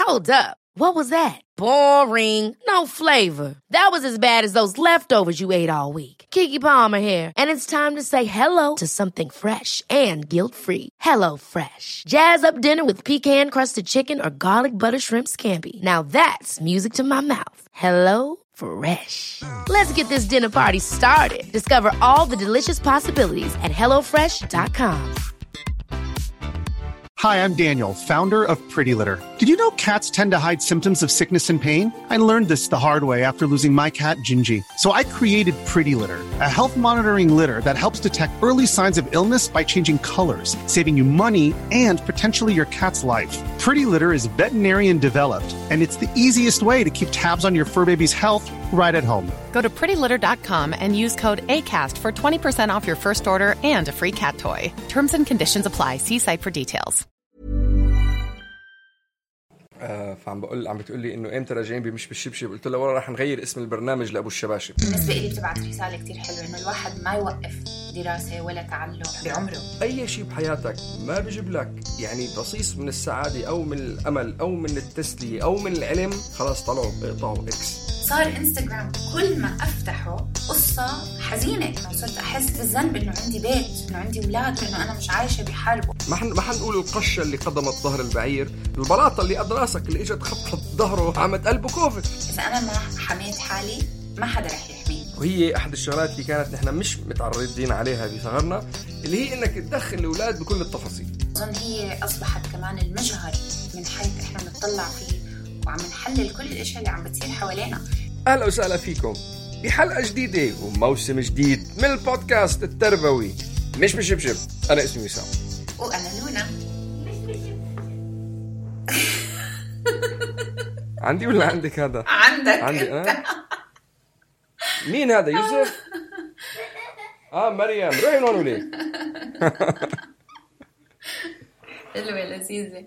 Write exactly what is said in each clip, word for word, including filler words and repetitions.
Hold up. What was that? Boring. No flavor. That was as bad as those leftovers you ate all week. Keke Palmer here, and it's time to say hello to something fresh and guilt-free. Hello Fresh. Jazz up dinner with pecan-crusted chicken or garlic butter shrimp scampi. Now that's music to my mouth. Hello Fresh. Let's get this dinner party started. Discover all the delicious possibilities at hello fresh dot com. Hi, I'm Daniel, founder of Pretty Litter. Did you know cats tend to hide symptoms of sickness and pain? I learned this the hard way after losing my cat, Gingy. So I created Pretty Litter, a health monitoring litter that helps detect early signs of illness by changing colors, saving you money and potentially your cat's life. Pretty Litter is veterinarian developed, and it's the easiest way to keep tabs on your fur baby's health right at home. Go to pretty litter dot com and use code ACAST for twenty percent off your first order and a free cat toy. Terms and conditions apply. See site for details. آه فعم بقول عم بتقول لي انه امتى راجعين بمش بالشبشب. قلت له والله راح نغير اسم البرنامج لابو الشباشب. بالنسبه لي بتبعت رساله كتير حلوه انه الواحد ما يوقف دراسه ولا تعلم بعمره. اي شيء بحياتك ما بيجيب لك يعني بصيص من السعاده او من الامل او من التسليه او من العلم، خلاص طلعوا اقطعوا اكس. صار انستغرام كل ما افتحه قصه حزينه، انه صرت احس بالذنب انه عندي بيت، انه عندي اولاد، انه انا مش عايشه بحرب. ما حن ما حنقول القشه اللي قضمت ظهر البعير، البلاطه اللي قد راسك اللي اجت خبطت ظهره عمت قلبه كوفت. اذا انا ما حميت حالي ما حدا رح يحميني. وهي احد الشغلات اللي كانت نحن مش متعرضين عليها بصغرنا، اللي هي انك تدخل الاولاد بكل التفاصيل. اظن هي اصبحت كمان المجهر من حيث احنا بنطلع فيه وعم نحلل كل الاشياء اللي عم بتصير حوالينا. اهلا وسهلا فيكم بحلقه جديده وموسم جديد من البودكاست التربوي مش بشبشب. انا اسمي وسام وانا لونا. عندي ولا عندك هذا؟ عندك عندي أنا. مين هذا؟ يوسف؟ اه مريم، روحي هون وليه. حلوه لذيذه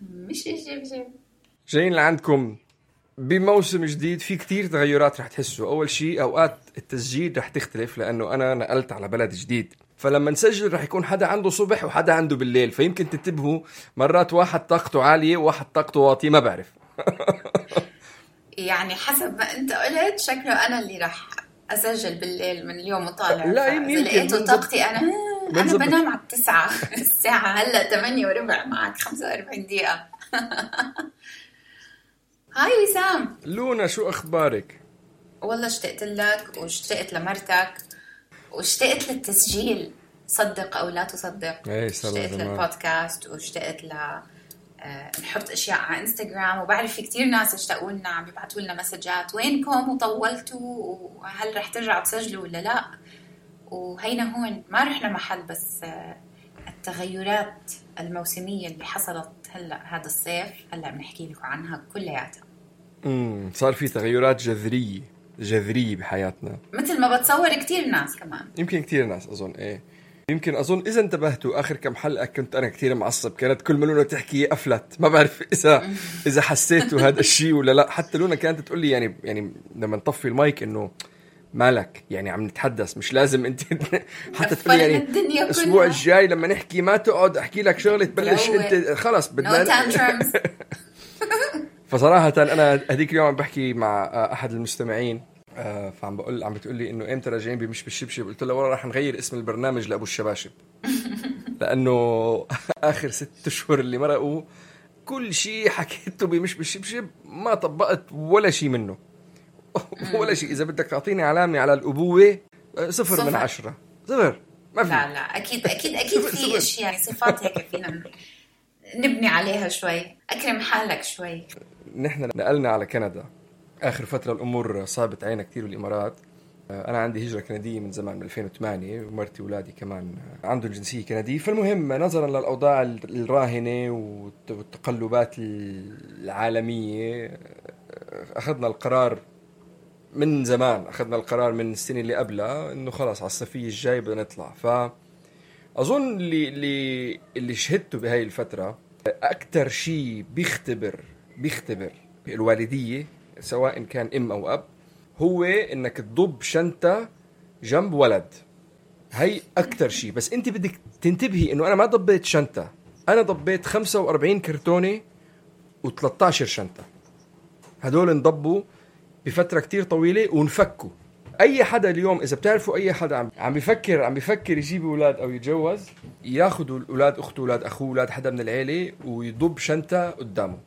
مش شبشب. جايين لعندكم بموسم جديد في كتير تغيرات رح تحسوا. أول شيء أوقات التسجيل رح تختلف لأنه أنا نقلت على بلد جديد، فلما نسجل رح يكون حدا عنده صبح وحدا عنده بالليل، فيمكن تنتبهوا مرات واحد طاقته عالية وواحد طاقته واطية، ما بعرف. يعني حسب ما أنت قلت شكله أنا اللي رح أسجل بالليل من اليوم وطالع. لا يمكن لقيته طاقتي أنا أنا بنام على التسعة الساعة هلأ ثمانية وربع، معك خمسة وأربعين دقيقة. هاي وسام. لونا شو أخبارك؟ والله اشتقت لك واشتقت لمرتك واشتقت للتسجيل، صدق أو لا تصدق. اشتقت للبودكاست واشتقت ل نحط أشياء على إنستغرام، وبعرف في كتير ناس اشتقوا لنا عم بيبعتوا لنا مسجات وينكم وطولتوا وهل رح ترجعوا تسجلوا ولا لا. وهينا هون ما رحنا محل، بس التغيرات الموسمية اللي حصلت هلأ هذا الصيف هلأ بنحكي لكم عنها كلياتها. امم صار في تغيرات جذرية جذرية بحياتنا، مثل ما بتصور كتير ناس. كمان يمكن كتير ناس أظن إيه يمكن أظن إذا انتبهتوا آخر كم حلقة كنت أنا كتير معصب، كانت كل ما لونا تحكي أفلت. ما بعرف إذا إذا حسيتوا هذا الشيء ولا لا. حتى لونا كانت تقول لي يعني يعني لما نطفي المايك إنه مالك يعني عم نتحدث، مش لازم انت حتى تقول يعني الاسبوع الجاي لما نحكي ما تقعد احكي لك شغله تبلش انت خلص بدنا. فصراحه انا هذيك اليوم عم بحكي مع احد المستمعين، فعم بقول عم بتقول لي انه امتى راجعين بمش بالشبشب. قلت له والله راح نغير اسم البرنامج لابو الشباشب، لانه اخر ست اشهر اللي مرقوا كل شيء حكيته بمش بالشبشب ما طبقت ولا شيء منه ولا شيء. إذا بدك تعطيني علامة على الأبوة صفر, صفر من عشرة، صفر ما في. لا لا أكيد أكيد أكيد في أشياء صفات هيك فينا نبني عليها شوي. أكرم حالك شوي. نحن نقلنا على كندا آخر فترة، الأمور صعبت علينا كتير بالإمارات. أنا عندي هجرة كندية من زمان من ألفين وثمانية، ومرتي وولادي كمان عندهم جنسية كندية. فالمهم نظرا للأوضاع الراهنة والتقلبات العالمية أخذنا القرار من زمان، أخذنا القرار من السنة اللي قبلها إنه خلاص على الصيفية الجاي بدنا نطلع. فأظن اللي اللي اللي شهدته بهاي الفترة أكتر شيء بيختبر بيختبر الوالدية سواء كان أم أو أب هو إنك تضب شنطة جنب ولد. هاي أكتر شيء. بس أنت بدك تنتبهي إنه أنا ما ضبيت شنطة، أنا ضبيت خمسة وأربعين كرتونة وثلاثة عشر شنطة. هدول انضبوا بفترة كتير طويلة ونفكوا. أي حدا اليوم إذا بتعرفوا أي حدا عم عم بيفكر عم بيفكر يجيب أولاد أو يتجوز، ياخدوا الأولاد أخته أولاد أخوه أولاد حدا من العيلة ويضب شنطة قدامه،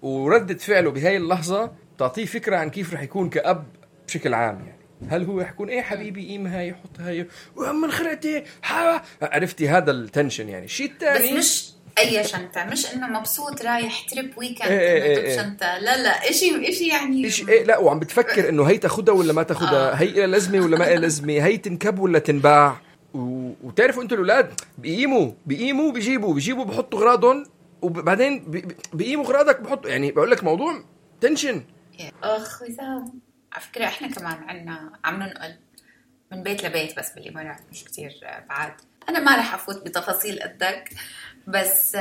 وردة فعله بهاي اللحظة تعطيه فكرة عن كيف رح يكون كأب بشكل عام. يعني هل هو يحكون إيه حبيبي إيم هاي يحط هاي وهم خلقتي حا عرفتي هذا التنشن. يعني شيء تاني بس مش أي شنطة، مش إنه مبسوط رايح تريب ويكند إيه إنه إيه شنطة، لا لا إشي إشي يعني إشي إيه لا، وعم بتفكر إنه هي تاخدها ولا ما تاخدها، آه. هي إلى لازمة ولا ما إلى لازمة، هي تنكب ولا تنباع. و... وتعرفوا أنتوا الأولاد بيقيموا بيقيموا بيجيبوا بيجيبوا بحطوا غراضهم وبعدين بي... بيقيموا غراضك بحطوا. يعني بقول لك موضوع تنشن. أخ وسام، على فكرة إحنا كمان عنا عم ننقل من بيت لبيت بس بالإمارات، مش كتير بعاد. أنا ما رح أفوت بتفاصيل قدك، بس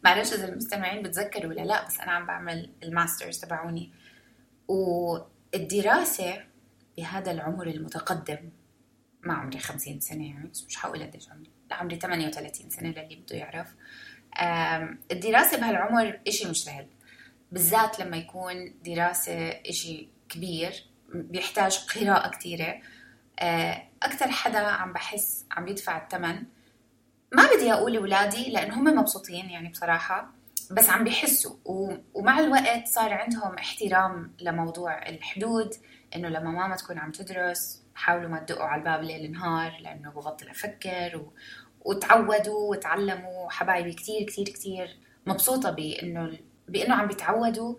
معلش إذا المستمعين بتذكروا ولا لا، بس أنا عم بعمل الماسترز تبعوني، والدراسة بهذا العمر المتقدم، ما عمري خمسين سنة يعني، بس مش حقول قديش عمري، لا عمري ثمانية وثلاثين سنة للي بده يعرف. الدراسة بهالعمر إشي مش سهل، بالذات لما يكون دراسة إشي كبير بيحتاج قراءة كتيرة. أكتر حدا عم بحس عم يدفع الثمن، ما بدي أقول أولادي لأن هم مبسوطين يعني بصراحة، بس عم بيحسوا، ومع الوقت صار عندهم احترام لموضوع الحدود، إنه لما ماما تكون عم تدرس حاولوا ما تدقوا على الباب ليل نهار لأنه ببطل أفكر، و... وتعودوا وتعلموا. حبايبي كتير كتير كتير مبسوطة بإنه بإنه عم بيتعودوا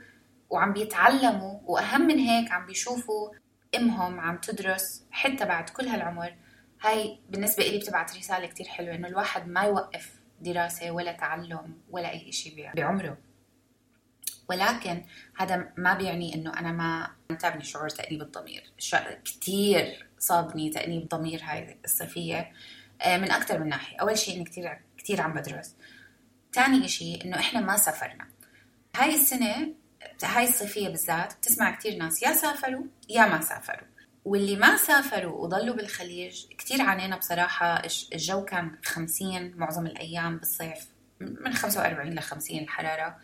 وعم بيتعلموا، وأهم من هيك عم بيشوفوا إمهم عم تدرس حتى بعد كل هالعمر. هاي بالنسبة إلي بتبعت رسالة كتير حلوة، إنه الواحد ما يوقف دراسة ولا تعلم ولا أي إشي بعمره. ولكن هذا ما بيعني إنه أنا ما تعبني شعور تأنيب الضمير. كتير صابني تأنيب الضمير هاي الصيفية من أكتر من ناحية. أول شيء إني كتير كتير عم بدرس، تاني إشي إنه إحنا ما سافرنا هاي السنة. هاي الصيفية بالذات بتسمع كتير ناس يا سافروا يا ما سافروا، واللي ما سافروا وضلوا بالخليج كتير عانينا بصراحة. الجو كان خمسين معظم الأيام بالصيف، من خمسة وأربعين لخمسين الحرارة،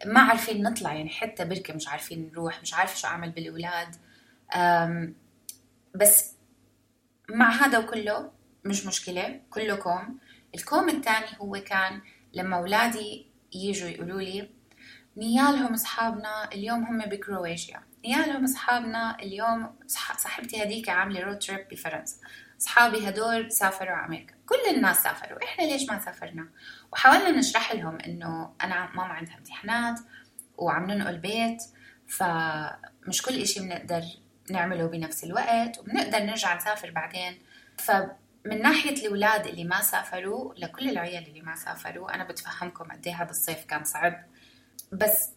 ما عارفين نطلع يعني حتى بركة مش عارفين نروح، مش عارفة شو أعمل بالأولاد. بس مع هذا وكله مش مشكلة، كله كوم. الكوم الثاني هو كان لما أولادي يجوا يقولوا لي نيالهم أصحابنا اليوم هم بكرواتيا، نيالهم أصحابنا اليوم صاحبتي هديك عاملة رود تريب بفرنسا، أصحابي هدول سافروا على أمريكا، كل الناس سافروا، إحنا ليش ما سافرنا؟ وحاولنا نشرح لهم إنه أنا ماما عندها امتحانات وعم ننقل بيت، فمش كل إشي بنقدر نعمله بنفس الوقت، وبنقدر نرجع نسافر بعدين. فمن ناحية الأولاد اللي ما سافروا لكل العيال اللي ما سافروا، أنا بتفهمكم قد إيه هذا الصيف كان صعب. بس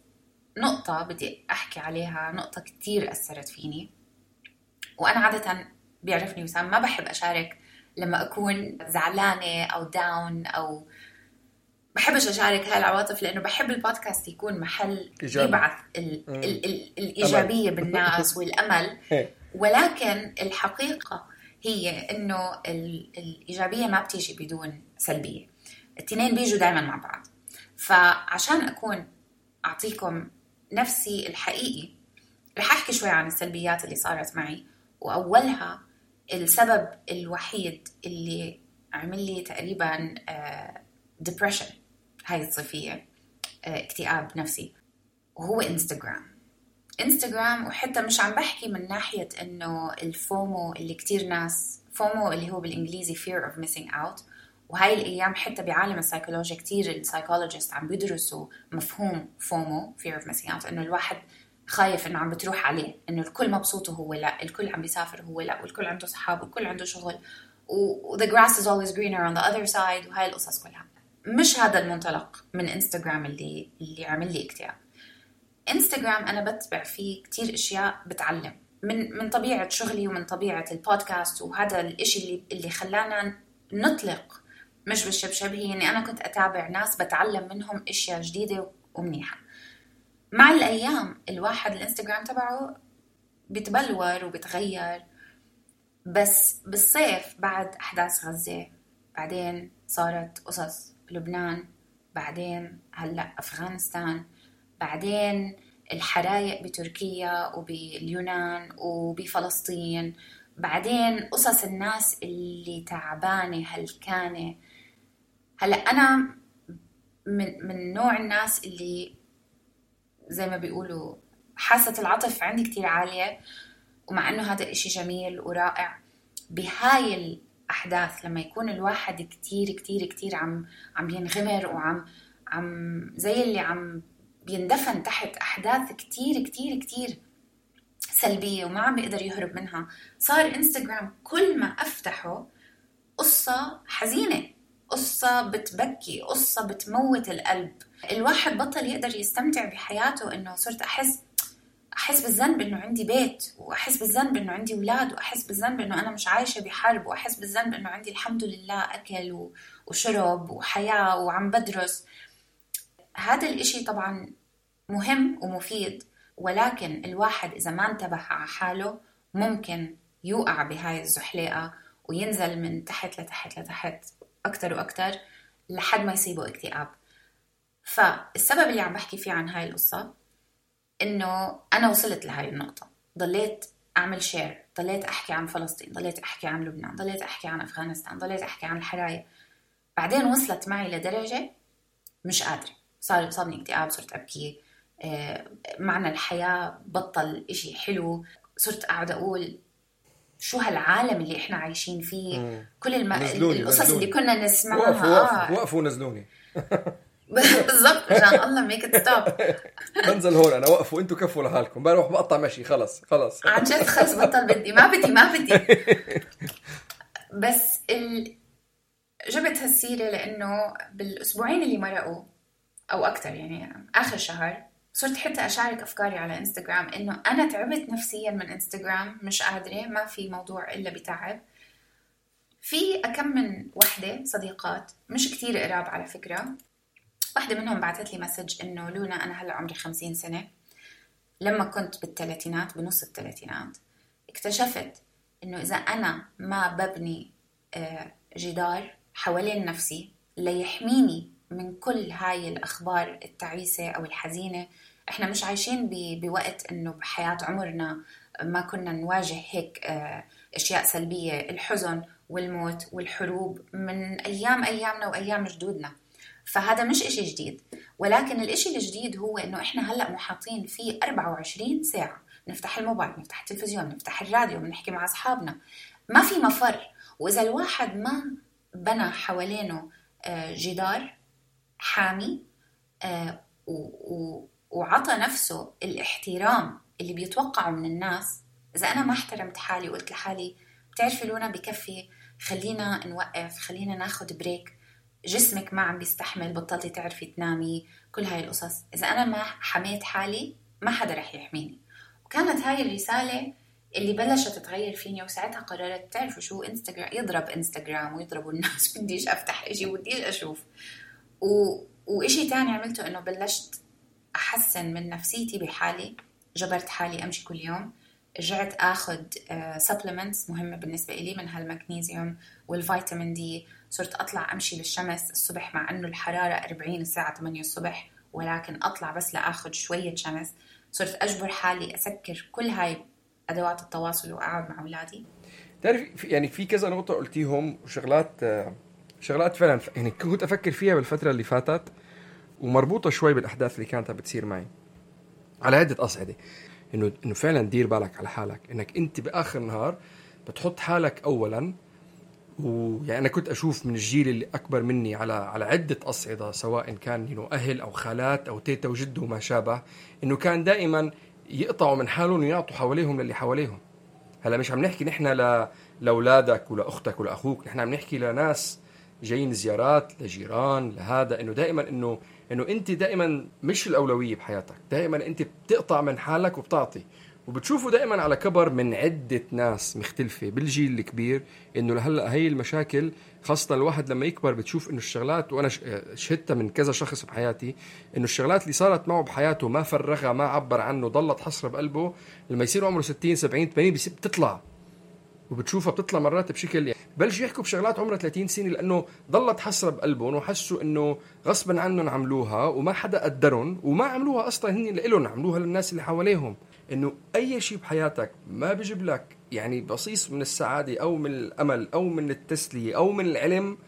نقطة بدي أحكي عليها، نقطة كتير أثرت فيني، وأنا عادة بيعرفني وسام ما بحب أشارك لما أكون زعلانة أو داون، أو بحبش أشارك هاي العواطف، لأنه بحب البودكاست يكون محل يبعث ال ال ال الإيجابية بالناس والأمل. ولكن الحقيقة هي إنه الإيجابية ما بتيجي بدون سلبية، التنين بيجوا دايما مع بعض. فعشان أكون أعطيكم نفسي الحقيقي، رح أحكي شوي عن السلبيات اللي صارت معي. وأولها السبب الوحيد اللي عمل لي تقريبا depression هاي الصيفية، اكتئاب نفسي، وهو إنستغرام. إنستغرام وحتى مش عم بحكي من ناحية إنه الفومو اللي كتير ناس، فومو اللي هو بالإنجليزي fear of missing out. وهاي الأيام حتى بعالم السايكولوجيا كتير السايكولوجيست عم بيدرسوا مفهوم فومو fear of missing out، إنه الواحد خايف إنه عم بتروح عليه، إنه الكل مبسوط وهو لا، الكل عم بيسافر وهو لا، والكل عنده صحاب والكل عنده شغل، و the grass is always greener on the other side، وهاي القصص كلها. مش هذا المنطلق من إنستغرام اللي اللي عمل لي اكتئاب. إنستغرام أنا بتبع فيه كتير إشياء بتعلم من من طبيعة شغلي ومن طبيعة البودكاست، وهذا الإشي اللي اللي خلانا نطلق مش بالشبشب، هي إني أنا كنت أتابع ناس بتعلم منهم إشياء جديدة ومنيحة. مع الأيام الواحد الإنستغرام تبعه بيتبلور وبيتغير، بس بالصيف بعد أحداث غزة، بعدين صارت قصص لبنان، بعدين هلأ أفغانستان، بعدين الحرايق بتركيا وباليونان وبفلسطين، بعدين قصص الناس اللي تعبانة هلكانة. هلأ أنا من, من نوع الناس اللي زي ما بيقولوا حاسة العطف عندي كتير عالية، ومع أنه هذا الإشي جميل ورائع بهاي الأحداث لما يكون الواحد كتير كتير كتير عم عم ينغمر وعم عم زي اللي عم بيندفن تحت أحداث كتير كتير كتير سلبية وما عم بيقدر يهرب منها. صار إنستغرام كل ما أفتحه قصة حزينة، قصة بتبكي، قصة بتموت القلب. الواحد بطل يقدر يستمتع بحياته، إنه صرت أحس أحس بالذنب إنه عندي بيت، وأحس بالذنب إنه عندي أولاد، وأحس بالذنب إنه أنا مش عايشة بحرب، وأحس بالذنب إنه عندي الحمد لله أكل وشرب وحياة وعم بدرس. هذا الإشي طبعا مهم ومفيد، ولكن الواحد إذا ما انتبه على حاله ممكن يوقع بهاي الزحليقة وينزل من تحت لتحت لتحت أكتر وأكتر لحد ما يصيبه اكتئاب. فالسبب اللي عم بحكي فيه عن هاي القصة إنه أنا وصلت لهاي النقطة، ضليت أعمل شير، ضليت أحكي عن فلسطين، ضليت أحكي عن لبنان، ضليت أحكي عن أفغانستان، ضليت أحكي عن الحرايق. بعدين وصلت معي لدرجة مش قادرة، صار صابني اكتئاب، صرت أبكي، معنى الحياة بطل إشي حلو، صرت أقعد أقول شو هالعالم اللي إحنا عايشين فيه. مم. كل الم... القصص اللي كنا نسمعها وقفوا وقفوا, وقفوا نزلوني بالضبط عشان الله make it stop. بنزل هون أنا، وقفوا أنتوا كفوا لحالكم، بروح بقطع مشي، خلص خلص عن جد خلص بطل، بدي ما بدي ما بدي بس ال... جبت هالسيرة لأنه بالأسبوعين اللي مرقوا أو أكتر، يعني آخر شهر، صرت حتى أشارك أفكاري على إنستغرام إنه أنا تعبت نفسياً من إنستغرام، مش قادرة، ما في موضوع إلا بتعب. في أكم من وحدة صديقات مش كتير قراب على فكرة، واحدة منهم بعتت لي مسج إنه لونا أنا هلأ عمري خمسين سنة، لما كنت بالثلاثينات بنص الثلاثينات اكتشفت إنه إذا أنا ما ببني جدار حوالين نفسي ليحميني من كل هاي الأخبار التعيسة أو الحزينة، إحنا مش عايشين بوقت إنه بحياة عمرنا ما كنا نواجه هيك أشياء سلبية، الحزن والموت والحروب من أيام أيامنا وأيام جدودنا. فهذا مش إشي جديد، ولكن الإشي الجديد هو إنه إحنا هلأ محاطين فيه أربعة وعشرين ساعة، نفتح الموبايل، نفتح التلفزيون، نفتح الراديو، بنحكي مع أصحابنا، ما في مفر. وإذا الواحد ما بنى حوالينه جدار حامي وعطى نفسه الاحترام اللي بيتوقعه من الناس، إذا أنا ما احترمت حالي وقلت لحالي بتعرفي لونا بكفي، خلينا نوقف، خلينا ناخد بريك، جسمك ما عم بيستحمل، بطلتي تعرفي تنامي، كل هاي القصص، إذا أنا ما حميت حالي ما حدا رح يحميني. وكانت هاي الرسالة اللي بلشت تتغير فيني، وساعتها قررت تعرفوا شو، إنستغرام يضرب إنستغرام ويضربوا الناس، بديش أفتح إشي وديش أشوف. و... وإشي تاني عملته إنه بلشت أحسن من نفسيتي بحالي، جبرت حالي أمشي كل يوم، رجعت أخذ supplements مهمة بالنسبة إلي من هالمغنيسيوم والفيتامين دي، صرت أطلع أمشي بالشمس الصبح مع أنه الحرارة أربعين الساعة ثمانية الصبح، ولكن أطلع بس لأخذ شوية شمس. صرت أجبر حالي أسكر كل هاي أدوات التواصل وأقعد مع أولادي. تعرف يعني في كذا نقطة قلتيهم وشغلات شغلات فعلا يعني كنت أفكر فيها بالفترة اللي فاتت، ومربوطة شوي بالأحداث اللي كانت بتصير معي على عدة أصعدة. إنه إنه فعلا دير بالك على حالك، إنك أنت بآخر النهار بتحط حالك أولا. ويعني أنا كنت أشوف من الجيل اللي أكبر مني على على عدة أصعدة، سواء كان إنه أهل أو خالات أو تيتا وجد وما شابه، إنه كان دائما يقطعوا من حالهم ويعطوا حواليهم للي حواليهم. هلا مش عم نحكي نحن ل لأولادك ولا أختك ولا أخوك، نحن عم نحكي لناس جايين زيارات، لجيران، لهذا. إنه دائما إنه إنه أنت دائما مش الأولوية بحياتك، دائما أنت بتقطع من حالك وبتعطي. وبتشوفوا دائما على كبر من عدة ناس مختلفة بالجيل الكبير إنه لهلا هي المشاكل، خاصة الواحد لما يكبر بتشوف إنه الشغلات، وأنا شهدتها من كذا شخص بحياتي، إنه الشغلات اللي صارت معه بحياته ما فرغها، ما عبر عنه، ضلت حسرة بقلبه، لما يصير عمره ستين سبعين ثمانين بتطلع، وبتشوفها بتطلع مرات بشكل بلشوا يحكوا بشغلات عمرها ثلاثين سنة لأنه ضلت حسرة بقلبهم وحسوا إنه غصبا عنهم عملوها وما حدا قدرهم وما عملوها أصلا هني لإلهم، عملوها للناس اللي حواليهم. إنه أي شيء بحياتك ما بيجيب لك يعني بصيص من السعادة أو من الأمل أو من التسلية أو من العلم،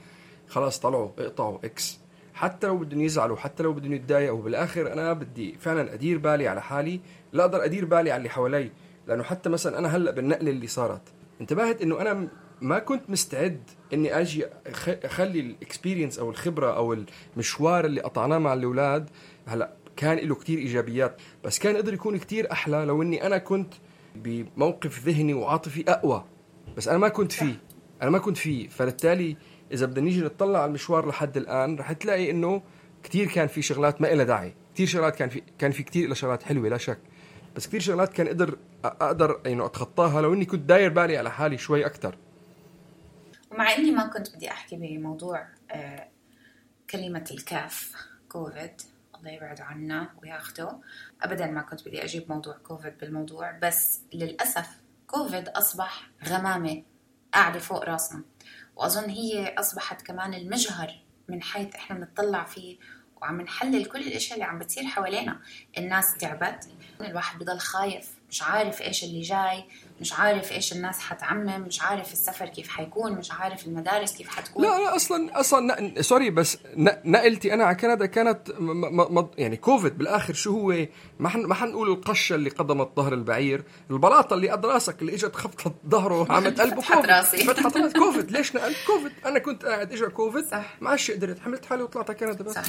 خلاص طلعوا اقطعوا إكس. حتى لو بدهم يزعلوا، حتى لو بدهم يتضايقوا، وبالآخر أنا بدي فعلا أدير بالي على حالي، لا أقدر أدير بالي على اللي حوالي. لأنه حتى مثلا أنا هلأ بالنقلة اللي صارت انتبهت إنه أنا ما كنت مستعد إني أجي أخلي الإكسبيرينس أو الخبرة أو المشوار اللي قطعناه مع الأولاد. هلأ كان له كتير إيجابيات، بس كان قدر يكون كتير أحلى لو إني أنا كنت بموقف ذهني وعاطفي أقوى، بس أنا ما كنت فيه أنا ما كنت فيه فبالتالي إذا بدنا نيجي نطلع على المشوار لحد الآن رح تلاقي إنه كتير كان في شغلات ما إلها داعي، كتير شغلات كان في كان في كتير إلها شغلات حلوة لا شك، بس كتير شغلات كان قدر أقدر إنه أتخطاها لو إني كنت داير بالي على حالي شوي أكتر. ومع إني ما كنت بدي أحكي بموضوع آه كلمة الكاف كوفيد، الله يبعد عنا وياخده، أبدا ما كنت بدي أجيب موضوع كوفيد بالموضوع، بس للأسف كوفيد أصبح غمامة قاعدة فوق راسنا، وأظن هي أصبحت كمان المجهر من حيث إحنا بنطلع فيه وعم نحلل كل الأشياء اللي عم بتصير حوالينا. الناس تعبت، الواحد بضل خايف، مش عارف إيش اللي جاي، مش عارف إيش الناس حتعمم، مش عارف السفر كيف حيكون، مش عارف المدارس كيف حتكون. لا لا أصلا أصلا سوري بس نقلتي أنا على كندا كانت م- م- يعني كوفيد بالآخر شو هو؟ ما حن ما حنقول القشة اللي قدمت ظهر البعير، البلاطة اللي قد راسك اللي إجت خبطت ظهره عملت قلبه فتحت راسي فتحت راسي كوفيد. ليش نقلت كوفيد؟ أنا كنت قاعد إجا كوفيد معاش قدرت حملت حالي وطلعت على كندا بس. صح.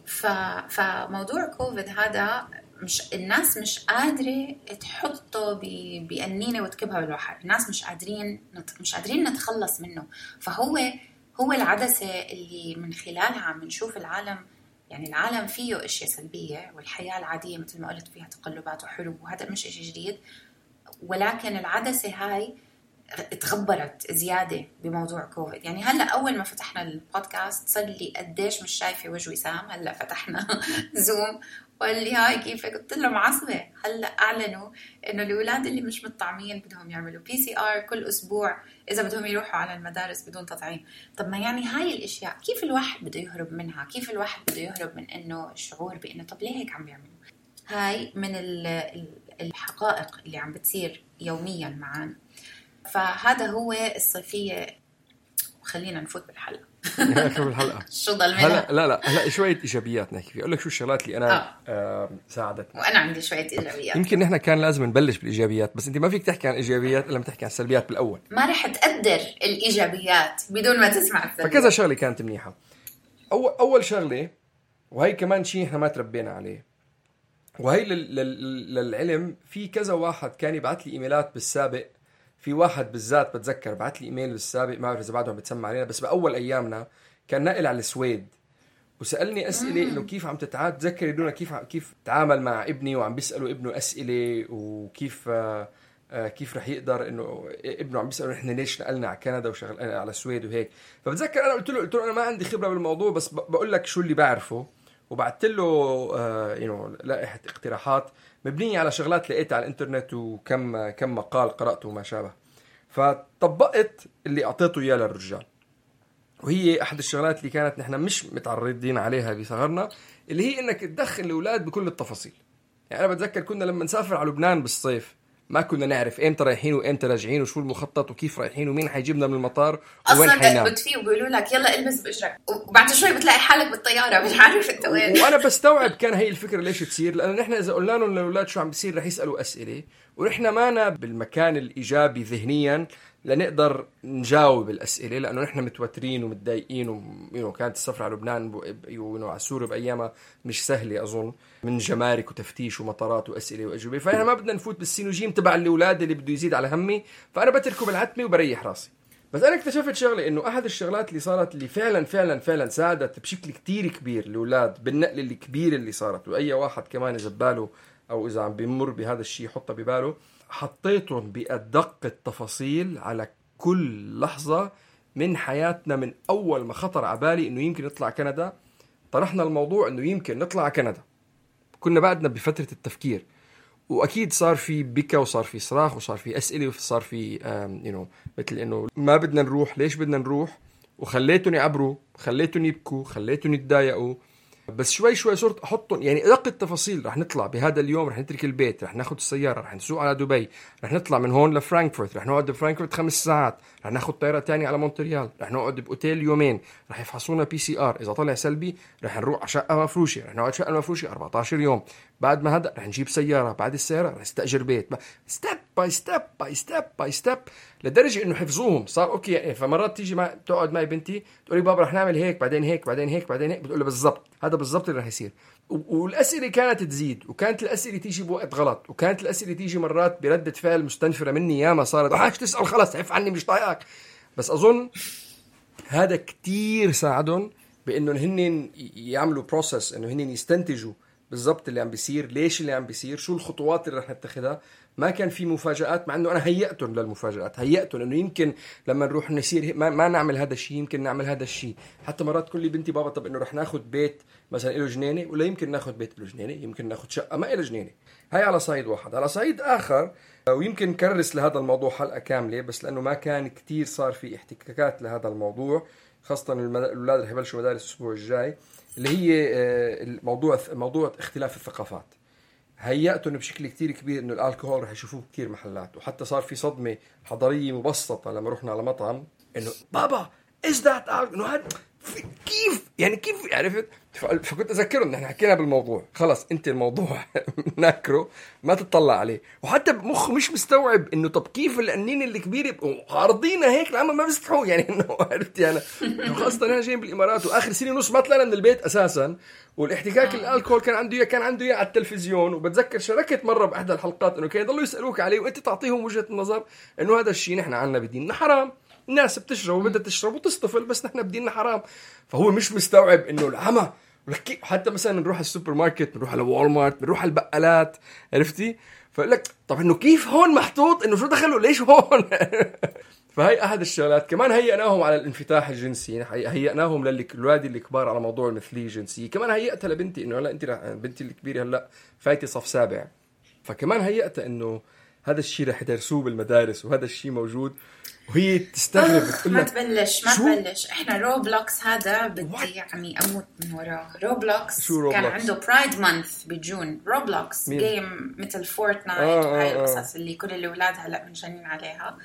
ف... فموضوع كوفيد هذا مش الناس مش قادرة تحطه ب... بأنينة وتكبها بالبحر، الناس مش قادرين نت... مش قادرين نتخلص منه. فهو هو العدسة اللي من خلالها عم نشوف العالم، يعني العالم فيه اشياء سلبية والحياة العادية مثل ما قلت فيها تقلبات وحروب وهذا مش اشي جديد، ولكن العدسة هاي اتغبرت زيادة بموضوع كوفيد. يعني هلأ أول ما فتحنا البودكاست صار لي قديش مش شايفة وجه وسام، هلأ فتحنا زوم وقال لي هاي كيفك؟ قلت له معصبة. هلأ أعلنوا إنه الأولاد اللي مش متطعمين بدهم يعملوا بي سي آر كل أسبوع إذا بدهم يروحوا على المدارس بدون تطعيم. طب ما يعني هاي الأشياء كيف الواحد بده يهرب منها؟ كيف الواحد بده يهرب من إنه الشعور بإنه طب ليه هيك عم بيعملوا؟ هاي من الحقائق اللي عم بتصير يوميا معانا. فهذا هو الصيفية. خلينا نفوت بالحلقة. نحكي بالحلقة. شو ضل منها؟ هلا لا لا هلا شوية إيجابيات نحكي فيها. أقول لك شو الشغلات اللي أنا آه. آه ساعدتني. وأنا عندي شوية إيجابيات. يمكن نحن كان لازم نبلش بالإيجابيات، بس أنت ما فيك تحكي عن إيجابيات إلا ما تحكي عن السلبيات بالأول. ما رح تقدر الإيجابيات بدون ما تسمع السلبيات. فكذا شغلة كانت منيحة. أول أول شغلة، وهي كمان شيء إحنا ما تربينا عليه، وهي للعلم، في كذا واحد كان يبعث لي إيميلات بالسابق. في واحد بالذات بتذكر بعت لي إيميل بالسابق، ما أعرف إذا بعدهم بتسمع علينا، بس بأول أيامنا كان ناقل على السويد وسألني أسئلة إنه كيف عم تتعاد تذكر يدونا كيف كيف تعامل مع ابني، وعم بيسألوا ابنه أسئلة وكيف آه كيف رح يقدر إنه ابنه عم بيسألوا إحنا ليش نقلنا على كندا وشغل على السويد وهيك. فبتذكر أنا قلت له قلت له أنا ما عندي خبرة بالموضوع، بس بقول لك شو اللي بعرفه، وبعت له آه ينو لائحة اقتراحات مبنية على شغلات لقيتها على الانترنت وكم كم مقال قرأته وما شابه. فطبقت اللي أعطيته إياه للرجال، وهي أحد الشغلات اللي كانت نحن مش متعرضين عليها بصغرنا، اللي هي إنك تدخل الأولاد بكل التفاصيل. يعني أنا بتذكر كنا لما نسافر على لبنان بالصيف ما كنا نعرف إمتى رايحين وإمتى راجعين وشو المخطط وكيف رايحين ومين حيجيبنا من المطار وين حينام. أصلاً بتفيه وبيقولوا لك يلا البس بإجرك، وبعد شوي بتلاقي حالك بالطيارة مش عارف أنت وين. وأنا بستوعب كان هي الفكرة ليش تصير، لأن نحن إذا قلنا لهم للأولاد شو عم بيصير رح يسألوا أسئلة، ونحن مانا بالمكان الإيجابي ذهنياً لنقدر نجاوب الأسئلة، لأنه نحن متوترين ومتضايقين، وكانت السفر على لبنان وعلى سوريا بأيامها مش سهلة أظن، من جمارك وتفتيش ومطارات وأسئلة وأجوبة. فأنا ما بدنا نفوت بالسينوجيم تبع الأولاد اللي بده يزيد على همي، فأنا بتركه بالعتمة وبريح راسي. بس أنا اكتشفت شغلة، إنه أحد الشغلات اللي صارت اللي فعلا فعلا فعلا ساعدت بشكل كتير كبير الأولاد بالنقل الكبير اللي صارت، وأي واحد كمان إذا بباله أو إذا عم بيمر بهذا الشيء حطه بباله، حطيتهم بأدق التفاصيل على كل لحظة من حياتنا. من أول ما خطر عبالي إنه يمكن نطلع كندا، طرحنا الموضوع إنه يمكن نطلع كندا، كنا بعدنا بفترة التفكير، واكيد صار في بكى وصار في صراخ وصار في اسئله وصار في يو نو مثل انه ما بدنا نروح، ليش بدنا نروح، وخليتهم يعبروا، خليتهم يبكوا، خليتهم يتضايقوا. بس شوي شوي صرت احطهم يعني ادق التفاصيل. رح نطلع بهذا اليوم، رح نترك البيت، رح ناخذ السياره، رح نسوق على دبي، رح نطلع من هون لفرانكفورت، رح نقعد بفرانكفورت خمس ساعات، رح ناخذ طياره تانية على مونتريال، رح نقعد باوتيل يومين، رح يفحصونا بي سي ار، اذا طلع سلبي رح نروح على شقه مفروشه، رح نقعد شقه مفروشه أربعة عشر يوم. بعد ما هذا رح نجيب سياره، بعد السياره رح نستاجر بيت، ستيب باي ستيب باي ستيب باي ستيب، لدرجه انه حفظوهم صار اوكي. يعني فمرات تيجي مع تقعد معي بنتي تقولي بابا رح نعمل هيك بعدين هيك بعدين هيك بعدين هيك، بتقول له بالضبط هذا بالضبط اللي رح يصير. والاسئله كانت تزيد، وكانت الاسئله تيجي بوقت غلط، وكانت الاسئله تيجي مرات بردة فعل مستنفره مني. ياما صارت عاش تسال خلص عف عني مش طايقك. بس اظن هذا كتير ساعدهم بانه هن يعملوا بروسس، انه هن يستنتجوا بالضبط اللي عم بيصير، ليش اللي عم بيصير، شو الخطوات اللي رح نتخذها. ما كان في مفاجآت، مع انه انا هيئتهم للمفاجآت، هيئتهم انه يمكن لما نروح نسير ما, ما نعمل هذا الشيء، يمكن نعمل هذا الشيء. حتى مرات كل بنتي بابا طب انه رح ناخذ بيت مثلا له جنينه، ولا يمكن ناخذ بيت له جنينه، يمكن ناخذ شقه ما له جنينه. هاي على صعيد واحد. على صعيد اخر، ويمكن كرس لهذا الموضوع حلقه كامله، بس لانه ما كان كتير صار في احتكاكات لهذا الموضوع، خاصه الاولاد رح يبلشوا مدارس الاسبوع الجاي، اللي هي الموضوع موضوع اختلاف الثقافات. هيئتهم بشكل كتير كبير انه الالكوهول رح يشوفوه كتير محلات، وحتى صار في صدمه حضاريه مبسطه لما رحنا على مطعم انه بابا is that انه هذا كيف يعني كيف عرفت. فكنت اذكرهم نحن حكينا بالموضوع، خلص انت الموضوع ناكره ما تطلع عليه. وحتى مخ مش مستوعب انه طب كيف القنين اللي كبيره عارضينه هيك العمل ما بيستحوا يعني انه عرفت يعني. خاصه انا جاي بالامارات واخر سنه ونص ما طلعنا من البيت اساسا، والاحتكاك الالكول كان عنده كان عنده اياه على التلفزيون. وبتذكر شاركت مره باحدى الحلقات انه كانوا يضلوا يسالوك عليه وانت تعطيهم وجهه النظر انه هذا الشيء نحن عنا بديننا حرام، الناس بتشرب وبدها تشرب وتصطفل، بس نحن بديننا حرام. فهو مش مستوعب انه العمى. حتى مثلا نروح السوبر ماركت، نروح على وول مارت، نروح على البقالات، عرفتي؟ فقال لك طب انه كيف هون محطوط، انه شو دخلوا ليش هون. فهي احد الشغلات. كمان هيئناهم على الانفتاح الجنسي، هيئناهم للولاد الكبار على موضوع المثليه الجنسيه. كمان هيئتها لبنتي انه هلا انت بنتي الكبيره هلا فايته صف سابع، فكمان هيئتها انه هذا الشيء رح يدرسوه بالمدارس وهذا الشيء موجود، وهي تستغرب بتقول ما تبلش ما تبلش. احنا روبلوكس هذا بدي يعني اموت من وراه. روبلوكس كان عنده برايد مانث بجون. روبلوكس جيم مثل فورتنايت آه وهاي آه القصص اللي كل الاولاد هلا منجنين عليها.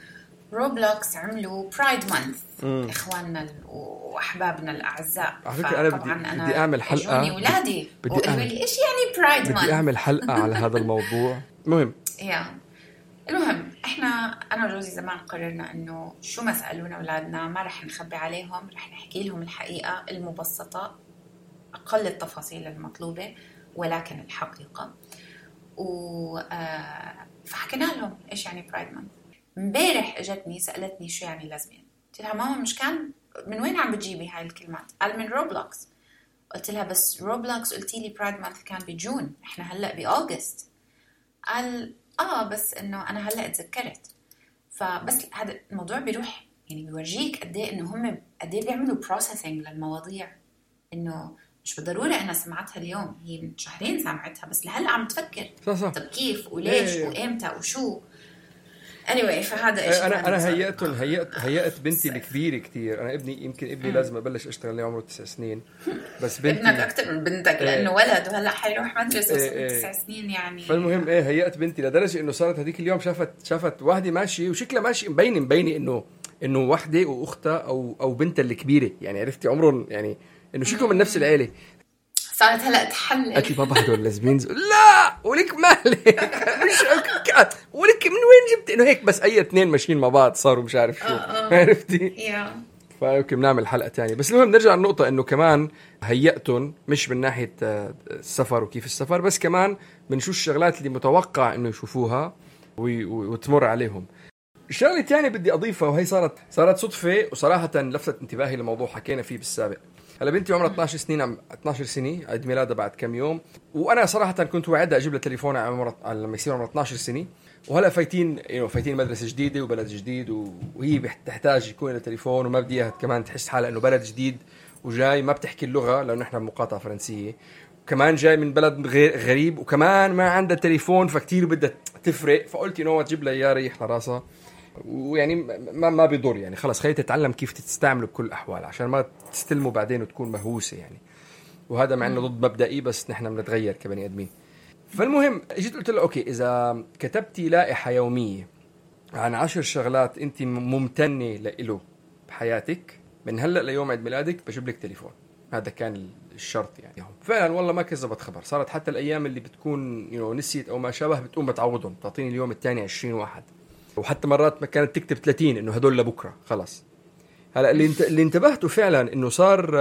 روبلوكس عملوا برايد مانث اخواننا واحبابنا الاعزاء. على فكره انا بدي, أنا بدي اعمل حلقه جوني ولادي بدي اعمل لي ايش يعني برايد مانث، بدي اعمل حلقه على هذا الموضوع. مهم يا المهم احنا انا وجوزي زمان قررنا انه شو ما سالونا اولادنا ما رح نخبي عليهم، رح نحكي لهم الحقيقه المبسطه، اقل التفاصيل المطلوبه ولكن الحقيقه. و فحكينا لهم ايش يعني برايد مانث. امبارح اجتني سالتني شو يعني لازمين. قلت لها ماما مش كان من وين عم بتجيبي هاي الكلمات؟ قال من روبلوكس. قلت لها بس روبلوكس قلتي لي برايد مانث كان بجون، احنا هلا باغسطس. قال اه بس انه انا هلا اتذكرت. فبس هذا الموضوع بيروح يعني بيورجيك قد ايه انه هم قد ايه بيعملوا بروسيسنج للمواضيع، انه مش بالضروره انا سمعتها اليوم، هي من شهرين سمعتها بس لهلا عم تفكر صح صح. طب كيف وليش ايه وامتى وشو. anyway فهذا ايش انا انا هيئت هيئت هيئت بنتي الكبيره كتير. انا ابني يمكن ابني م. لازم ابلش اشتغل له عمره تسع سنين، بس بنتي ابنك اكثر من بنتك لانه ولد وهلا حيروح مدرسه ايه تسع سنين يعني. فالمهم ايه هيئت بنتي لدرجه انه صارت هذيك اليوم شافت شافت واحده ماشيه وشكلها ماشي مبين مبين انه انه وحده واختها او او بنتها الكبيره، يعني عرفتي عمرهم يعني انه شكلهم من نفس العيله. صارت هلا تحلل قالت لي بابا هدول لازمينز. لا ولك مالك مش ولك من وين جبت انه هيك بس اي اثنين ماشيين مع بعض صاروا مش عارف شو عرفتي. فيمكن نعمل حلقه تانية. بس المهم نرجع للنقطه انه كمان هيئتهم مش من ناحيه السفر وكيف السفر، بس كمان من شو الشغلات اللي متوقع انه يشوفوها وتمر عليهم. الشغله الثانيه بدي اضيفها وهي صارت صارت صدفه وصراحه لفتت انتباهي لموضوع حكينا فيه بالسابق. هلا بنتي عمرها اثناشر سنين، عم اثناشر سنه عيد ميلادها بعد كم يوم، وانا صراحه كنت وعدها اجيب لها تليفون عمرها لما يصير عمرها اثناشر سنه. وهلا فايتين يعني فايتين مدرسه جديده وبلد جديد، وهي بتحتاج يكون لها تليفون وما بدي اياها كمان تحس حالها انه بلد جديد وجاي ما بتحكي اللغة لأنه إحنا بمقاطعة فرنسية، وكمان جاي من بلد غير غريب، وكمان ما عنده تليفون، فكتير بدها تفرق. فقلت إنه تجيب لها إياه ريح لراسها، ويعني ما ما بيضر يعني، خلص خليها تتعلم كيف تستعمله بكل الأحوال عشان ما تستلمه بعدين وتكون مهووسة يعني. وهذا مع إنه ضد مبدئي، بس نحن بنتغير كبني آدمين. فالمهم جيت قلت له أوكي، إذا كتبتي لائحة يومية عن عشر شغلات أنت ممتنة له بحياتك من هلأ ليوم عيد ميلادك بجيب لك تليفون. هذا كان الشرط يعني. فعلا والله ما كذبت خبر، صارت حتى الأيام اللي بتكون you know, نسيت أو ما شابه بتقوم بتعوضهم، تعطيني اليوم الثاني عشرين واحد، وحتى مرات ما كانت تكتب ثلاثين إنه هدول لبكرة خلاص. هلا اللي انت اللي انتبهته فعلا إنه صار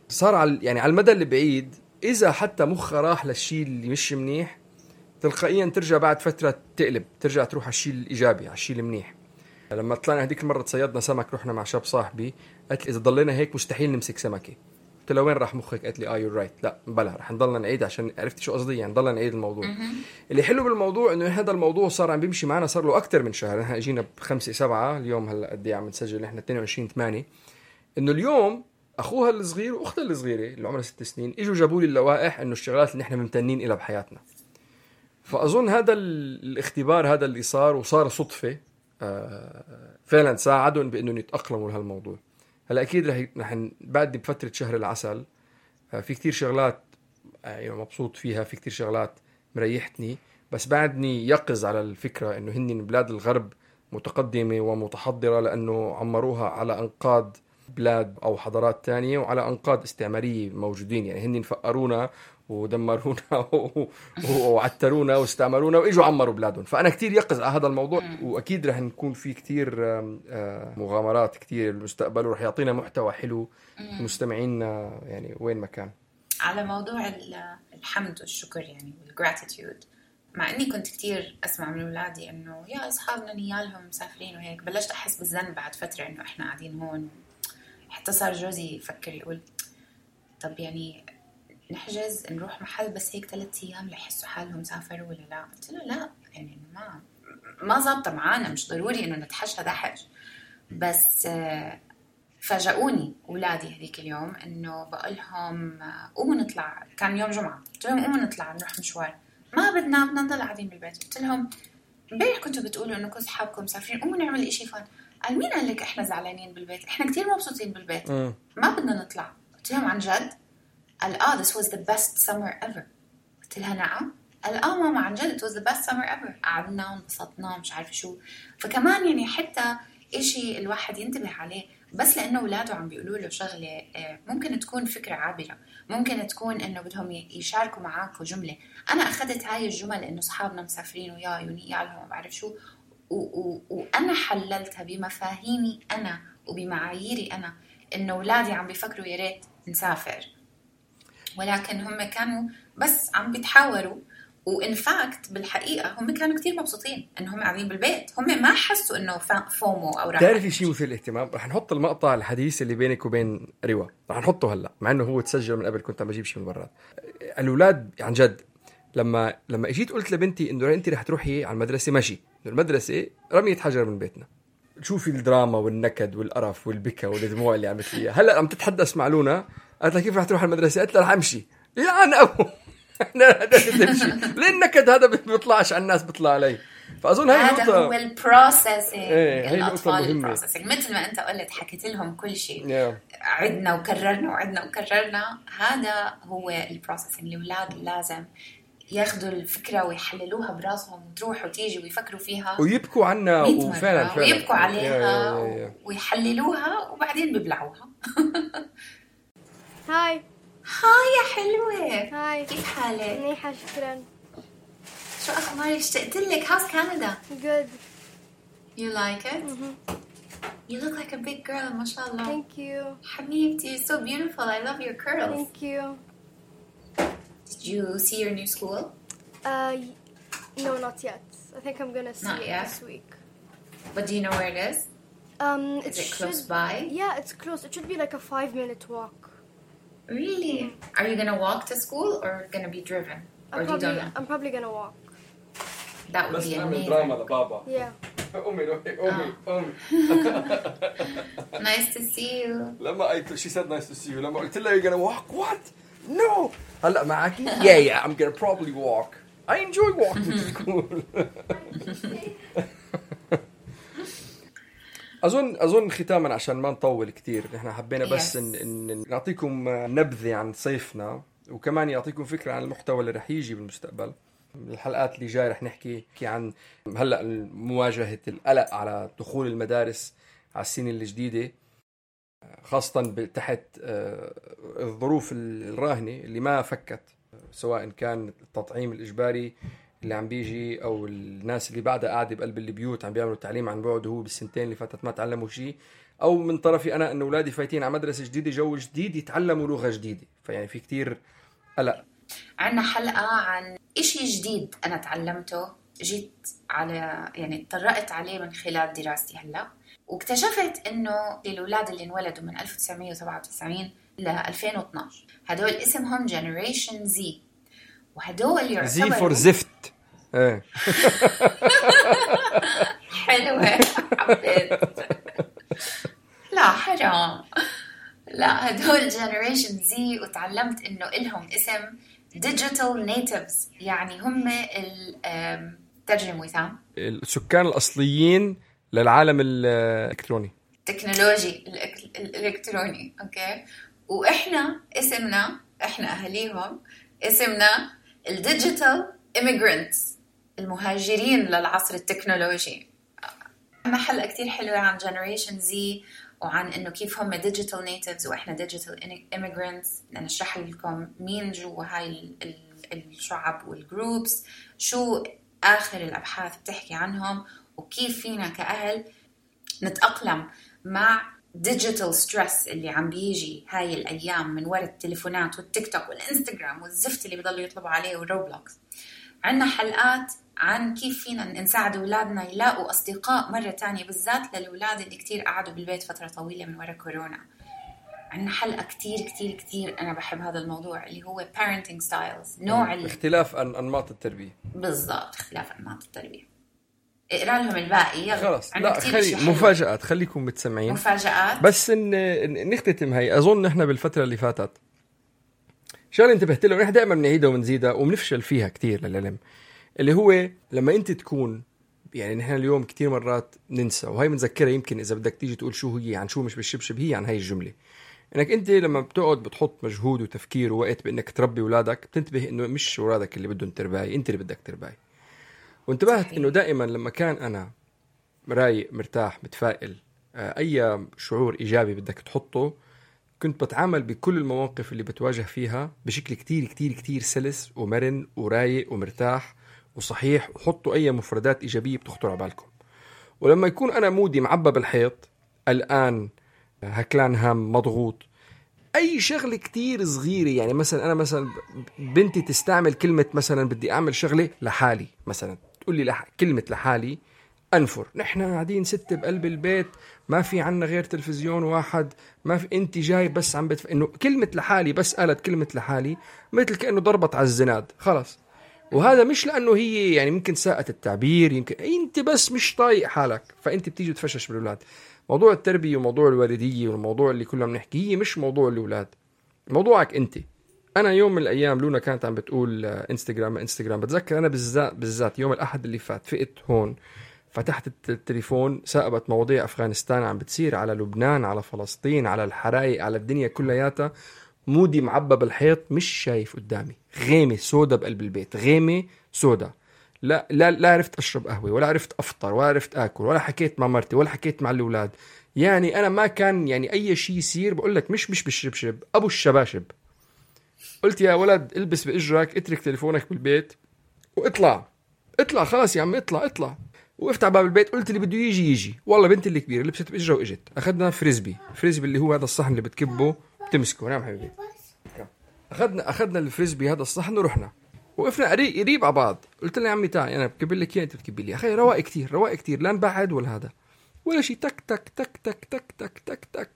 صار على يعني على المدى اللي بعيد، إذا حتى مخها راح للشيء اللي مش منيح تلقائيا ترجع بعد فترة تقلب، ترجع تروح على الشيء الإيجابي، على الشيء المنيح. لما طلعنا هذيك المرة تصيدنا سمك، رحنا مع شاب صاحبي، قالت لي إذا ضلينا هيك مستحيل نمسك سمكة. قلت له وين راح مخك؟ قالت لي آه يور رايت، لا بلا رح نضلنا نعيد، عشان عرفت شو قصدي يعني، نضلنا نعيد الموضوع. اللي حلو بالموضوع إنه هذا الموضوع صار عم بيمشي معنا صار له أكتر من شهر. إحنا إجينا بخمسة سبعة اليوم، هلا قد إيه عم نسجل إحنا اثنين وعشرين ثمانية. إنه اليوم أخوها الصغير وأختها الصغيرة اللي عمرها ست سنين إجوا جابوا لي اللوائح إنه الشغلات اللي إحنا ممتنين إلها بحياتنا. فأظن هذا الاختبار هذا اللي صار وصار صدفة فعلا ساعدهم بأنهم يتأقلموا لهالموضوع. هلا أكيد رح رح بعد بفترة شهر العسل في كتير شغلات يعني مبسوط فيها، في كتير شغلات مريحتني، بس بعدني يقظ على الفكرة إنه هن بلاد الغرب متقدمة ومتحضرة لأنه عمروها على أنقاض بلاد أو حضارات تانية وعلى أنقاض استعمارية موجودين يعني. هن فقرونا ودمرونا وعترونا واستعمرونا وإجوا عمروا بلادهم. فأنا كتير يقظ على هذا الموضوع، وأكيد رح نكون في كتير مغامرات كتير المستقبل، ورح يعطينا محتوى حلو مستمعينا يعني وين ما كان. على موضوع الحمد والشكر يعني والgratitude، مع إني كنت كتير أسمع من أولادي إنه يا أصحابنا نيالهم مسافرين وهيك، بلشت أحس بالذنب بعد فترة إنه إحنا قاعدين هون. حتى صار جوزي يفكر يقول طب يعني نحجز نروح محل بس هيك ثلاثة أيام ليحسوا حالهم سافروا ولا لا. قلت له لا يعني ما ما زابطة معانا، مش ضروري إنه نتحش هذا حج. بس فاجأوني أولادي هذيك اليوم إنه بقولهم قوموا نطلع، كان يوم جمعة، قلت لهم قوموا نطلع نروح مشوار. ما بدنا بدنا نضل قاعدين بالبيت. قلت لهم امبارح كنتوا بتقولوا إنه كل أصحابكم مسافرين، قوموا نعمل إشي فان. قال مين قال لك إحنا زعلانين بالبيت؟ إحنا كتير مبسوطين بالبيت، م. ما بدنا نطلع. قلت لهم عن جد؟ قال آه this was the best summer ever. قلت لها نعم؟ قال آه ماما عن جد it was the best summer ever. قعدنا ونبسطنا مش عارف شو. فكمان يعني حتى إشي الواحد ينتبه عليه، بس لأنه أولاده عم بيقولوا له شغلة ممكن تكون فكرة عابرة، ممكن تكون إنه بدهم يشاركوا معاكوا جملة. أنا أخذت هاي الجمل إنه صحابنا مسافرين وياي ونيالهم ما بعرف شو، وأنا حللتها بمفاهيمي أنا وبمعاييري أنا، إنه أولادي عم بيفكروا يا ريت نسافر، ولكن هم كانوا بس عم بيتحاوروا. وإن فاكت بالحقيقة هم كانوا كتير مبسوطين إنهم قاعدين بالبيت، هم ما حسوا إنه فومو أو راحة. تعرفي شيء مثير الاهتمام؟ رح نحط المقطع الحديث اللي بينك وبين روا، رح نحطه هلا مع إنه هو تسجل من قبل، كنت عم بجيب شيء من برات. الأولاد عن جد لما لما اجيت قلت لبنتي إنه أنت رح تروحي على المدرسة ماشي، المدرسة رمية حجر من بيتنا. شوفي الدراما والنكد والقرف والبكا والدموع اللي عملت لي هلا عم تتحدث مع لونا. قالت لها كيف رح تروح على المدرسة؟ قلت لها رح امشي. يلعن ابو انا تمشي ليه النكد هذا بيطلعش على الناس بيطلع علي. فاظن هاي هذا النقطة هو البروسيسنج. ايه الاطفال البروسيسنج مثل ما انت قلت حكيت لهم كل شيء yeah. عدنا وكررنا وعدنا وكررنا. هذا هو البروسيسنج. الاولاد لازم ياخذوا الفكرة ويحللوها براسهم وتروح وتيجي ويفكروا فيها ويبكوا عنها وفعلا فعلا ويبكوا عليها yeah, yeah, yeah. ويحللوها وبعدين بيبلعوها. هاي هاي يا حلوة. هاي كيف حالك؟ منيحة شكرا. شو أخبارك؟ اشتقت لك. How's Canada? Good. You like it? Mm-hmm. You look like a big girl. ما شاء الله. Thank you. حبيبتي, you're so beautiful. I love your curls. Thank you. Did you see your new school? Uh, no, not yet. I think I'm gonna see not it yet. this week. But do you know where it is? Um, is it, it close should, by? Yeah, it's close. It should be like a five-minute walk. Really? Are you gonna walk to school or gonna be driven? Or I'm do you probably, don't know? I'm probably gonna walk. That would be amazing. Yeah. أمي أمي أمي nice to see you. لما قلت she said nice to see you لما قلت لها you're gonna walk what no هلا معاكي yeah yeah I'm gonna probably walk I enjoy walking to school. أظن أظن ختاما عشان ما نطول كتير نحن حبينا بس yes. إن, إن نعطيكم نبذة عن صيفنا وكمان يعطيكم فكرة عن المحتوى اللي رح يجي بالمستقبل. الحلقات اللي جاي رح نحكي عن هلأ مواجهة القلق على دخول المدارس على السنة الجديدة خاصة تحت الظروف الراهنة اللي ما فكت سواء كان التطعيم الإجباري اللي عم بيجي أو الناس اللي بعدها قاعدة بقلب البيوت عم بيعملوا تعليم عن بعد وهو بالسنتين اللي فاتت ما تعلموا شيء أو من طرفي أنا أن أولادي فايتين على مدرسة جديدة جو جديد يتعلموا لغة جديدة فيعني في كتير قلق. عنا حلقة عن إشي جديد أنا تعلمته جيت على يعني اتطرقت عليه من خلال دراستي هلأ واكتشفت إنه الأولاد اللي انولدوا من ألف وتسعمية وسبعة وتسعين ل ألفين واثناشر هدول اسمهم Generation Z وهدول يعتبروا Z for زفت. ايه حلوة حبيت. لا حرام لا هدول Generation Z وتعلمت إنه إلهم اسم Digital Natives يعني هم الترجم وثام السكان الأصليين للعالم الإلكتروني تكنولوجي الإلكتروني أوكي وإحنا اسمنا إحنا أهليهم اسمنا الديجيتال إيميغرانتس المهاجرين للعصر التكنولوجي. عنا حلقة كتير حلوة عن Generation Z وعن إنه كيف هم digital natives وإحنا digital immigrants نشرح لكم مين جوا هاي الشعب والجروبس شو آخر الأبحاث بتحكي عنهم وكيف فينا كأهل نتأقلم مع digital stress اللي عم بيجي هاي الأيام من وراء التليفونات والتيك توك والإنستغرام والزفت اللي بيضلوا يطلبوا عليه والروبلوكس. عنا حلقات عن كيف فينا نساعد أولادنا يلاقوا أصدقاء مرة تانية بالذات للأولاد اللي كتير قعدوا بالبيت فترة طويلة من وراء كورونا. عنا حلقة كتير كتير كتير أنا بحب هذا الموضوع اللي هو parenting styles نوع ال... اختلاف أنماط التربية. بالضبط اختلاف أنماط التربية. اقرأ لهم الباقي يلا. خلاص لا خلي مفاجآت خليكم متسمعين. مفاجآت. بس إن نختتم هاي أظن إحنا بالفترة اللي فاتت شغله انتبهت له ونحن دائما بنعيدها ونزيدها وبنفشل فيها كتير للعلم اللي هو لما انت تكون يعني نحن اليوم كتير مرات ننسى وهي بنذكرها يمكن اذا بدك تيجي تقول شو هي عن شو مش بالشبشب هي عن هاي الجمله انك انت لما بتقعد بتحط مجهود وتفكير ووقت بانك تربي اولادك بتنتبه انه مش اولادك اللي بدهم ترباي انت اللي بدك ترباي. وانتبهت انه دائما لما كان انا رايق مرتاح متفائل اي شعور ايجابي بدك تحطه كنت بتعامل بكل المواقف اللي بتواجه فيها بشكل كتير كتير كتير سلس ومرن ورايق ومرتاح وصحيح وحطوا أي مفردات إيجابية بتخطر على بالكم. ولما يكون أنا مودي معبى بالحيط الآن هكلان هم مضغوط أي شغلة كتير صغيرة يعني مثلا أنا مثلا بنتي تستعمل كلمة مثلا بدي أعمل شغلة لحالي مثلا تقول لي لح... كلمة لحالي أنفر نحن قاعدين ستة بقلب البيت ما في عنا غير تلفزيون واحد ما في انت جاي بس عم بتف... انه كلمة لحالي بس قالت كلمة لحالي مثل كأنه ضربت على الزناد خلاص. وهذا مش لأنه هي يعني ممكن ساءة التعبير يمكن انت بس مش طايق حالك فانت بتيجي تفشش بالأولاد. موضوع التربية وموضوع الوالدية والموضوع اللي كلنا بنحكيه مش موضوع الأولاد موضوعك انت. انا يوم من الايام لونا كانت عم بتقول انستغرام انستغرام بتذكر انا بالذات بالذات يوم الأحد اللي فات فقت هون فتحت التليفون ساقبت مواضيع أفغانستان عم بتصير على لبنان على فلسطين على الحرائق على الدنيا كلياتها مودي معبى بالحيط مش شايف قدامي غيمة سودا بقلب البيت غيمة سودا لا لا لا عرفت أشرب قهوة ولا عرفت أفطر ولا عرفت أكل ولا حكيت مع مرتي ولا حكيت مع الأولاد يعني أنا ما كان يعني أي شيء يصير بقول لك مش مش بالشبشب أبو الشباشب. قلت يا ولد البس بإجرك اترك تليفونك بالبيت واطلع اطلع خلاص يا عم اطلع اطلع. وقفت على باب البيت قلت اللي بده يجي يجي والله بنتي اللي كبيره لبست باجرها واجت اخذنا فريسبي فريسبي اللي هو هذا الصحن اللي بتكبه بتمسكه نعم حبيبي اخذنا اخذنا الفريسبي هذا الصحن ورحنا وقفنا قريب قريب على بعض قلت له يا عمي تعال انا بكب لك اياه انت بتكبي لي اخي رواق كتير رواق كتير لا نبعد ولا هذا ولا شيء تك تك تك تك تك تك تك تك.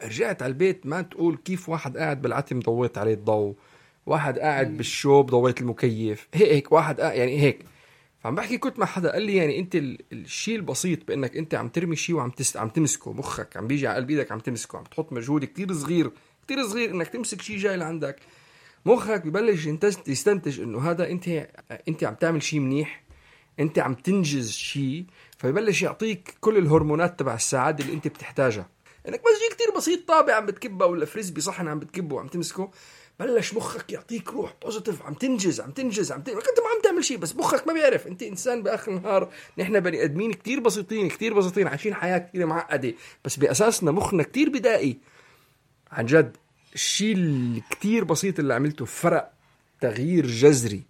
رجعت على البيت ما تقول كيف واحد قاعد بالعتم ضويت عليه الضوء واحد قاعد بالشوب ضويت المكيف هيك هيك واحد يعني هيك فعم بحكي كنت مع حدا قال لي يعني انت الشيء البسيط بانك انت عم ترمي شيء وعم تست... عم تمسكه، مخك عم بيجي على قلب ايدك عم تمسكه، عم تحط مجهود كتير صغير كتير صغير انك تمسك شيء جاي لعندك، مخك ببلش يستنتج انه هذا انت انت عم تعمل شيء منيح، انت عم تنجز شيء، فيبلش يعطيك كل الهرمونات تبع السعاده اللي انت بتحتاجها. انك بس شيء كتير بسيط، طابع عم بتكبه ولا فريسبي صحن عم بتكبه وعم تمسكه، بلش مخك يعطيك روح بوزيتيف، عم تنجز عم تنجز عم تنجز. انت ما عم تعمل شيء بس مخك ما بيعرف. انت انسان باخر النهار، نحن بني ادمين كتير بسيطين كتير بسيطين عايشين حياه كتير معقده، بس باساسنا مخنا كتير بدائي. عن جد الشيء الكتير بسيط اللي عملته فرق تغيير جذري،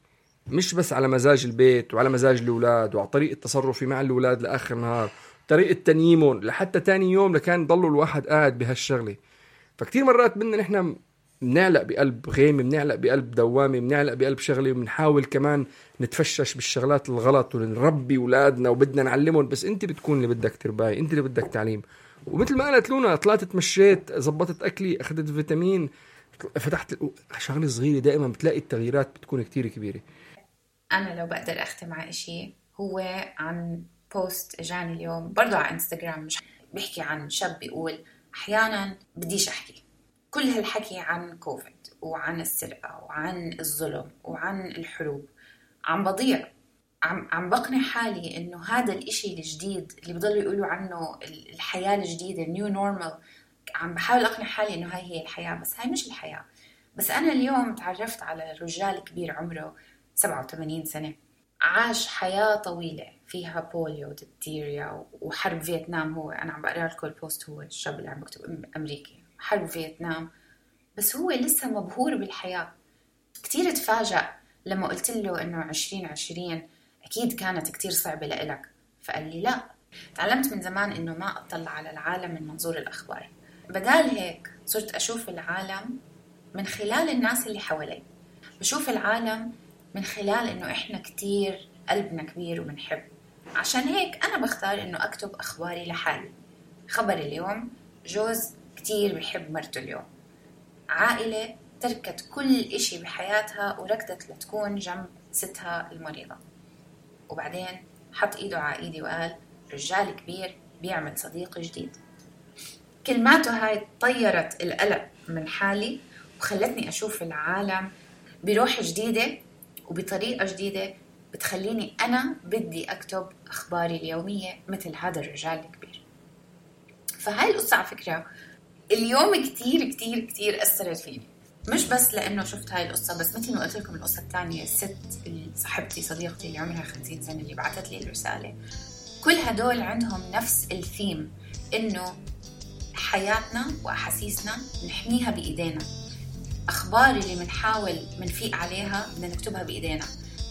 مش بس على مزاج البيت وعلى مزاج الأولاد وعلى طريقة تصرفي مع الأولاد لآخر النهار، طريقة تنييمهم لحتى تاني يوم لكان ضلوا الواحد قاعد بهالشغلة. فكتير مرات بدنا نحن بنعلق بقلب غيمة، بنعلق بقلب دوامة، بنعلق بقلب شغلة، وبنحاول كمان نتفشش بالشغلات الغلط ونربي أولادنا وبدنا نعلمهم. بس انت بتكون اللي بدك ترباي، انت اللي بدك تعليم. ومثل ما قالت لونا، طلعت تمشيت، زبطت أكلي، أخذت فيتامين، فتحت شغلة صغيرة، دائما بتلاقي التغييرات بتكون كتير كبيرة. أنا لو بقدر أختم على إشي هو عن بوست جاني اليوم برضو على إنستغرام، مش بيحكي عن شاب بيقول أحيانا بديش أحكي كل هالحكي عن كوفيد وعن السرقة وعن الظلم وعن الحروب، عم بضيع، عم عم بقنع حالي إنه هذا الإشي الجديد اللي بضلوا يقولوا عنه الحياة الجديدة نيو نورمال، عم بحاول أقنع حالي إنه هاي هي الحياة، بس هاي مش الحياة. بس أنا اليوم تعرفت على رجال كبير عمره سبعة وثمانين سنة، عاش حياة طويلة فيها بوليو وديفتيريا وحرب فيتنام. هو أنا عم بقرأ لكم البوست، هو الشاب اللي عم بكتب أمريكي، حرب فيتنام، بس هو لسه مبهور بالحياة. كتير تفاجأ لما قلت له إنه عشرين عشرين أكيد كانت كتير صعبة لإلك، فقال لي لا، تعلمت من زمان إنه ما أطلع على العالم من منظور الأخبار، بدال هيك صرت أشوف العالم من خلال الناس اللي حوالي، بشوف العالم من خلال إنه إحنا كتير قلبنا كبير وبنحب. عشان هيك أنا بختار إنه أكتب أخباري لحالي. خبر اليوم، جوز كتير بيحب مرته اليوم، عائلة تركت كل إشي بحياتها وركضت لتكون جنب ستها المريضة، وبعدين حط إيده على إيدي وقال رجال كبير بيعمل صديق جديد. كلماته هاي طيرت القلق من حالي وخلتني أشوف العالم بروح جديدة وبطريقة جديدة بتخليني أنا بدي أكتب أخباري اليومية مثل هذا الرجال الكبير. فهاي القصة على فكرة اليوم كتير كتير كتير أثرت فيني، مش بس لأنه شفت هاي القصة، بس مثل ما قلت لكم القصة الثانية، الست اللي صاحبتي صديقتي اللي عمرها خمسين سنة اللي بعتت لي الرسالة، كل هدول عندهم نفس الثيم، إنه حياتنا وأحاسيسنا نحميها بإيدينا، أخبار اللي منحاول منفيق عليها بدنا نكتبها بإيدينا.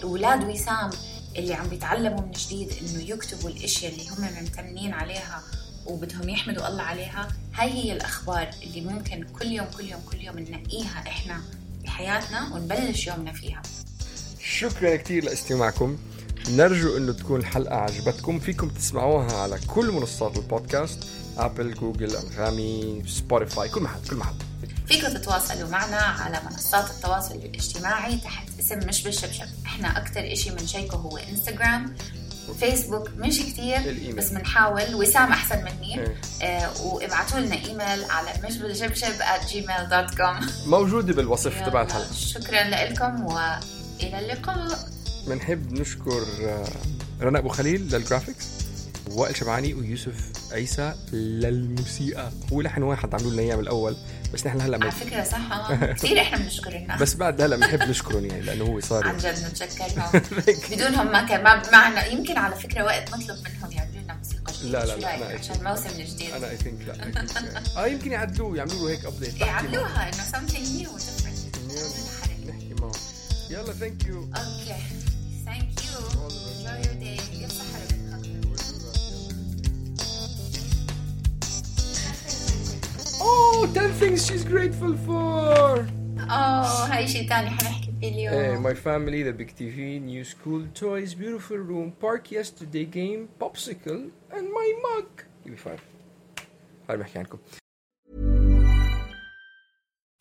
أولاد وسام اللي عم بيتعلموا من جديد إنه يكتبوا الأشياء اللي هم ممتنين عليها وبدهم يحمدوا الله عليها، هاي هي الأخبار اللي ممكن كل يوم كل يوم كل يوم ننقيها إحنا بحياتنا ونبلش يومنا فيها. شكرا كتير لاستماعكم، نرجو إنه تكون الحلقة عجبتكم. فيكم تسمعوها على كل منصات البودكاست، أبل، جوجل، أنغامي، سبوتيفاي، كل محل كل محل. فيكم تتواصلوا معنا على منصات التواصل الاجتماعي تحت اسم مش بالشبشب. احنا اكتر اشي منشيكه هو انستغرام وفيسبوك، مش كتير بس منحاول، وسام احسن مني. آه وابعتوا لنا ايميل على مش بالشبشب at gmail dot com، موجودة بالوصف تبع الحلقة. شكرا لكم والى اللقاء. منحب نشكر رنا أبو خليل للجرافيكس، وائل شبعاني ويوسف عيسى للموسيقى. هو لحن واحد عملوا لنا اياه من الاول، بس نحن هلا على فكره صح كثير احنا بنشكر الناس، بس بعد هلا بنحب نشكرهم يعني لانه هو صار عن جد نتشكرهم. بدونهم ما كان ما معنا. يمكن على فكره وقت نطلب منهم يعملوا لنا موسيقى جديده. لا لا لا عشان الموسم الجديد انا اي ثينك لا اه يمكن يعدلوه يعملوا له هيك ابديت، يعملوها انه something new different. نحكي معه. يلا ثانك يو. اوكي ثانك يو. enjoy your day. Oh, ten things she's grateful for. Oh, هاي شيء تاني حنحكي فيه اليوم. Hey, my family, the big T V, new school, toys, beautiful room, park yesterday game, popsicle, and my mug. Give me five. هاي بحكي عنكم.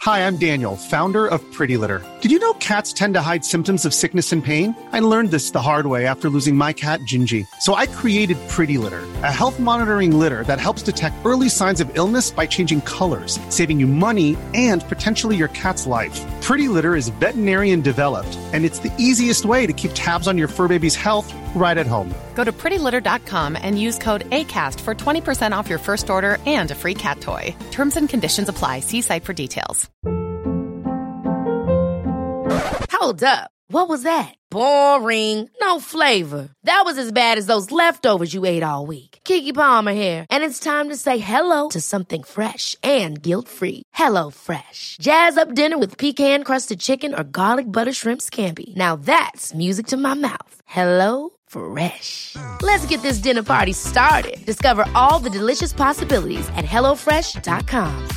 Hi, I'm Daniel, founder of Pretty Litter. Did you know cats tend to hide symptoms of sickness and pain? I learned this the hard way after losing my cat, Gingy. So I created Pretty Litter, a health monitoring litter that helps detect early signs of illness by changing colors, saving you money and potentially your cat's life. Pretty Litter is veterinarian developed, and it's the easiest way to keep tabs on your fur baby's health right at home. Go to pretty litter dot com and use code ACAST for twenty percent off your first order and a free cat toy. Terms and conditions apply. See site for details. Hold up. What was that? Boring. No flavor. That was as bad as those leftovers you ate all week. Keke Palmer here, and it's time to say hello to something fresh and guilt-free. Hello Fresh. Jazz up dinner with pecan-crusted chicken or garlic butter shrimp scampi. Now that's music to my mouth. Hello Fresh. Let's get this dinner party started. Discover all the delicious possibilities at hello fresh dot com.